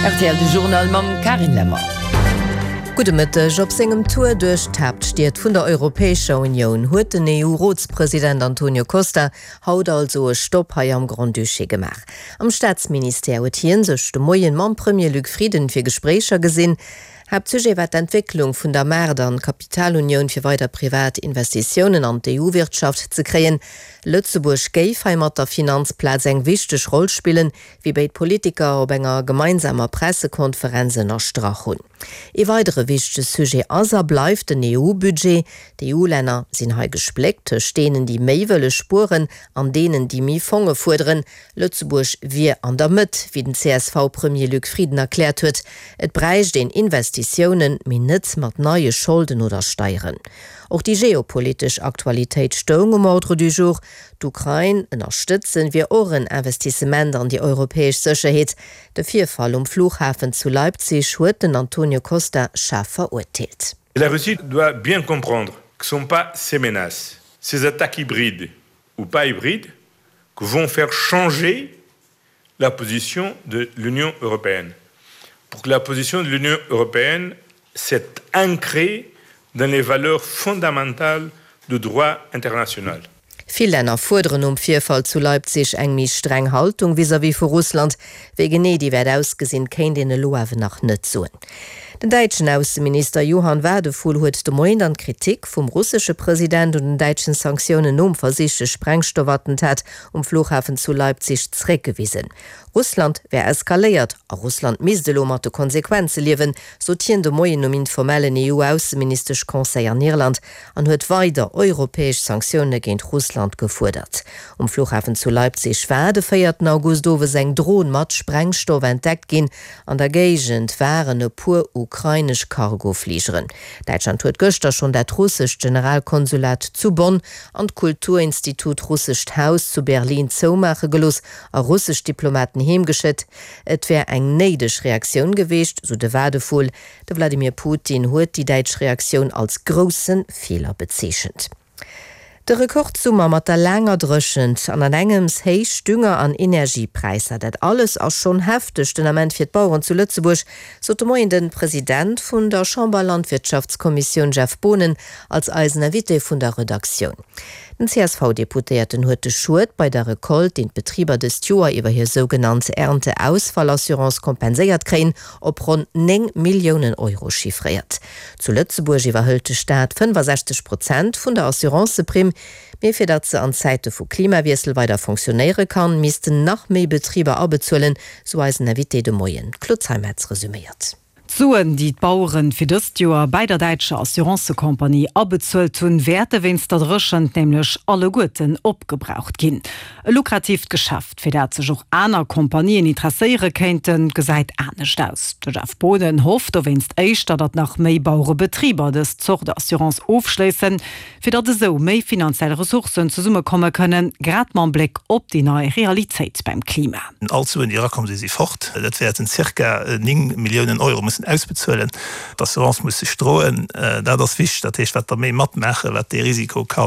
Rtl de Journal mam Carine Lemmer. Gudde Mëtteg. Op sengem Tour duerch d'Haaptstied vun der Europäescher Unioun huet den EU-Rotspresident Antonio Costa haut also e Stopp hei am Grand-Duché gemaach. Am Staatsministère huet hien sech de Moien mam Premier Luc Frieden fir Gespréicher gesinn. Haaptsujet war d'Entwécklung vun der Maart an Kapitalunioun fir weider privat Investitiounen an d'EU-Wirtschaft ze kréien. Lëtzebuerg géif hei mat der Finanzplaz eng wichteg Roll spillen, wéi béid Politiker op enger gemeinsamer Pressekonferenz ënnerstrach hunn. Ee weidere wichtege Sujet ass a bleift den EU-Budget. D'EU-Länner sinn hei gespléckt tëscht deenen, déi méi wëlle spueren an deenen, déi méi Fonge fuerderen. Lëtzebuerg wier an der Mëtt, wéi den CSV-Premier Luc Frieden erkläert huet. Et bräicht een Investitiounen, mee net mat neie Scholden oder Steieren. Och déi geopolitesch Aktualitéit stoung um Ordre du jour. D'Ukrain ënnerstëtzen wier och en Investissement an déi europäesch Sécherheet. De Virfall um Flughafen zu Leipzig huet den Antonio Costa schaarf verurteelt. La Russie doit bien comprendre que ce sont pas ses menaces, ses attaques hybrides ou pas hybrides que vont faire changer la position de l'Union européenne. Pour que la position de l'Union européenne s'est ancrée dans les valeurs fondamentales du droit international. Vill Länner fuerderen nom Virfall zu Leipzig eng méi streng Haltung vis-à-vis vu Russland. Wéi genee déi wäert ausgesinn, kéint een elo awer nach net soen. Den däitschen Ausseminister Johann Wadephul huet de Moien dann d'Kritik vum russesche President un den däitschen Sanktiounen nom versichte Sprengstoffattentat um Flughafen zu Leipzig zeréckgewisen. Russland wär eskaléiert a Russland misst elo mat de Konsequenze liewen, sot hien de Moien um informellen EU-Ausseministesch-Conseil an Irland an huet weider europäesch Sanktioune géint Russland gefuerdert. Um Flughafen zu Leipzig war de véierten August owes eng Dron mat Sprengstoff entdeckt ginn. An der Géigend waren e puer ukrainesch Cargofligeren. Däitschland huet gëschter schonn dat russescht Generalkonsulat zu Bonn an d'Kulturinstitut Russescht Haus zu Berlin zoumaache gelooss a russesch Diplomaten heemgeschéckt. Et wär eng néideg Reaktioun geweecht, sou de Wadephul. De Wladimir Putin huet déi däitsch Reaktioun als grousse Feeler bezeechent. De Rekordsummer mat der laanger Dréchent an an engems héich Dünger an Energiepräisser, dat alles ass schonn hefteg den Ament fir d'Baueren zu Lëtzebuerg, sot de Moien de President vun der Chamber-Landwirtschaftskommissioun Jeff Boonen als eisen Invité vun der Redaktioun. Den CSV-Deputéierten huet de Schued bei der Recolte, deen d'Betriber dëst Joer iwwer hir sougenannt Ernteausfallassurance kompenséiert kréien, op ronn 9 Milliounen Euro chiffréiert. Zu Lëtzebuerg iwwerhëlt de Staat 65 Prozent vun der Assuranceprimm. Mee fir datt se an Zäite vu Klimawiessel weider fonctionnéiere kann, missten nach méi Betriber abezuelen, sou eisen Invité de Moien. D'Claude Zeimetz resuméiert. D'Suen, déi d'Baueren fir dëst Joer bäi der däitscher Assurancëcompagnie abezuelt hunn, wäerte wéinst der Dréchent nämlech alleguerten opgebraucht ginn. E lukratiivt Geschäft, fir dat sech och aner Kompanien interesséiere kéinten, gesäit anescht aus. De Jeff Boonen hofft dowéinst éischter, datt nach méi Bauerebetriber dës Zort Assurance ofschléissen, fir datt esou méi finanziell Ressourcen zesummekomme kënnen, grad mam Bléck op déi nei Realitéit beim Klima. All d'Suen, déi erakomm sinn, si fort. Dat wäerten zirka 9 Milliounen Euro mussen ausbezuelen. D'Assurance muss sech droen. Dat ass wichteg. Dat heescht, wat der méi matmaachen, wat dee Risiko ka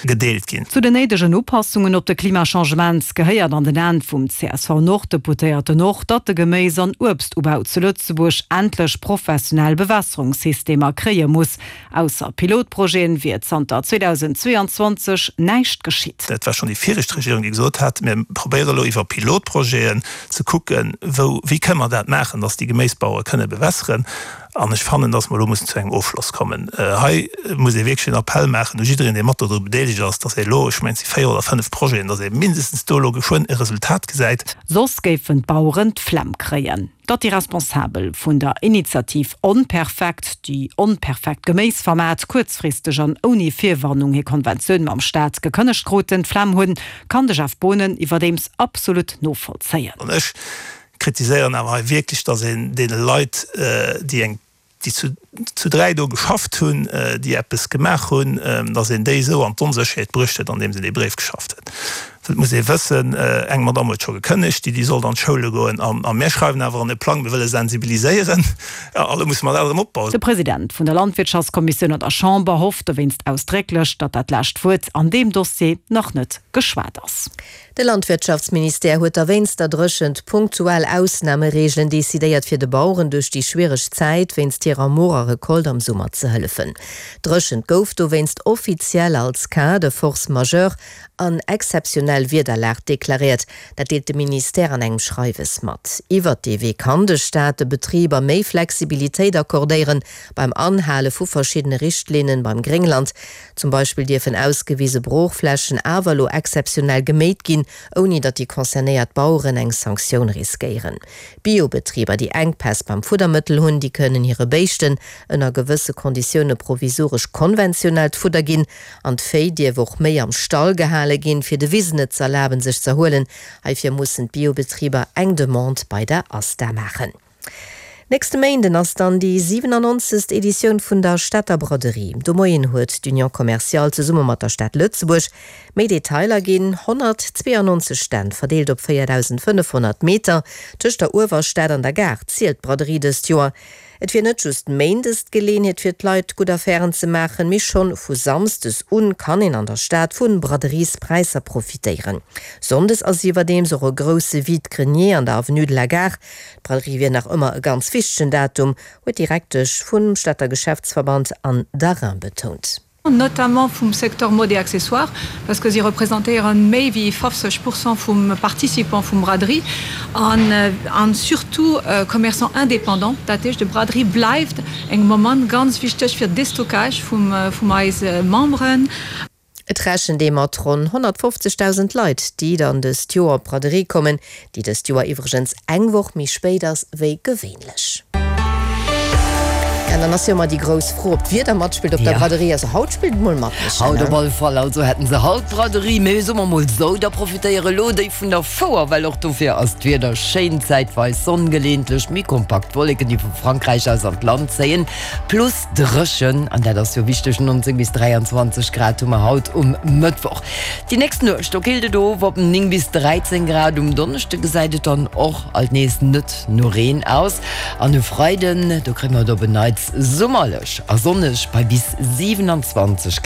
gedeelt ginn. Zu den néidegen Upassungen op de Klimachangement gehéiert an den Aen vum CSV-Nord-Deputéierten och, datt de Geméis an Uebstubau zu Lëtzebuerg endlech professionell Bewässerungssystemer kréie muss. Ausser Pilotprojeten wier zanter 2022 näischt geschitt. Dat war schonn déi viregt Regierung, déi gesot hat, mir probéiere elo iwwer Pilotprojeten ze kucken, wou, wéi kënne mer dat maachen, dass déi Geméisbauere kënne bewässeren. An ech fannen, dass mer elo mussen zu engem Ofschloss kommen. Hei muss ee wierklech en Appell maachen u jiddereen, dee mat dodru bedeelegt ass, dass ee elo, ech mengen, et si véier oder fënnf Projeten, dass ee mindestens do elo geschwënn e Resultat gesäit. Soss géifen d'Baueren d'Flemm kréien. Datt déi Responsabel vun der Initiativ Onperfekt, déi onperfekt Geméisformat, kuerzfristeg an ouni Virwarnung hir Konventioun mam Staat gekënnegt kruten, d'Flemm hunn, kann de Jeff Boonen iwwerdeems absolut novollzéien. An ech kritiséieren awer hei wierklech, datt een deene Leit, déi eng déi zu zu 3 do geschafft hunn, déi eppes gemaach hunn, datt een déi esou an d'Onsécherheet bruecht huet, andeems een dee Bréif geschafft huet. Well et muss ee wëssen, eng Madamm huet scho gekënnegt, déi déi sollt an d'Schoule goen, a mir schreiwen awer an e Plang, mir wëlle sensibiliséieren, a elo musse mer dat erëm opbauen. De President vun der Landwirtschaftskommissioun an der Chamber hofft dowéinst ausdrécklech, datt dat lescht Wuert an deem Dossier nach net geschwat ass. De Landwirtschaftsministère huet da wéinst der Dréchent punktuell Ausnamereegelen decidéiert, fir de Baueren duerch déi schwiereg Zäit wéinst hirer morer Recolte am Summer ze hëllefen. D'Dréchent gouf dowéinst offiziell als Cas de force majeure an exzeptionell Wiederlag deklaréiert. Dat deelt de Ministère an engem Schreiwes mat. Iwwert dee Wee kann de Staat de Betriber méi Flexibilitéit accordéieren beim Anhale vu verschiddene Richtlinnen beim Gréngland. Zum Beispill dierfen ausgewise Broochflächen awer elo exzeptionell geméit ginn, ouni datt déi concernéiert Baueren eng Sanktioun riskéieren. Biobetriber, déi Enkpäss beim Fuddermëttel hunn, déi kënnen hire Béischten ënner gewësse Konditioune provisoresch konventionellt Fudder ginn. An d'Véi dierf och méi am Stall gehale ginn, fir de Wisen et z'erlaben, sech z'erhuelen. Heifir mussen d'Biobetriber eng Demande bei der ASTA maachen. Nächste Méinden ass dann déi 97. Editioun vun der Stater Braderie. De Moien huet d'Union Commerciale zesumme mat der Stad Lëtzebuerg méi Detailer ginn. 192 Stänn, verdeelt op 4.500 Meter tëscht der Uewerstad an der Gare, zielt d'Braderie dëst Joer. Et wier net just méindes d'Geleeënheet fir d'Leit gutt Affären ze maachen, mee schonn vu samsdes un kann een an der Stad vu Braderiespräisser profitéieren. Sonndes ass iwwerdeems och e grousse Vide-grenier an der Avenue de la Gare. D'Braderie wier nach ëmmer e ganz wichtegen Datum, huet d'Direktesch vum Stater Geschäftsverband Anne Darin betount. Notamment vum Secteur Mode et Accessoires, parce que si representéieren méi wéi 50 Pourcent vum Participant vum Braderie an surtout Commerçants indépendants. Dat heescht, de Braderie bleift eng Moment ganz wichteg fir Destockage vum eise Memberen. Et rechent ee mat ronn 150.000 Leit, déi dann dëst Joer op d'Braderie kommen, déi dëst Joer iwwregens eng Woch méi spéit ass wéi gewéinlech. An dann ass jo ëmmer déi grouss Fro, ob d'Wieder matspillt op der Braderie. Also haut spillt et mol mat, Michèle. Haut op alle Fall, also hätten se haut Braderie, mee soe mer mol sou, da profitéiere elo déi vun der Fouer, well och dofir ass d'Wieder schéin, zäitweis Sonn, geleeëntlech méi kompakt Wolleken, déi vu Frankräich aus an d'Land zéien, plus Dréchen, an dat ass jo wichteg, 19 bis 23 Grad hu mer haut um Mëttwoch. Déi nächst Nuecht, do killt et of op 9 bis 13 Grad. Um Donneschde gesäit et dann och alt nees net no Reen aus an e Freiden, do kréie mer et op en Neits summerlech a sonneg bei bis 27.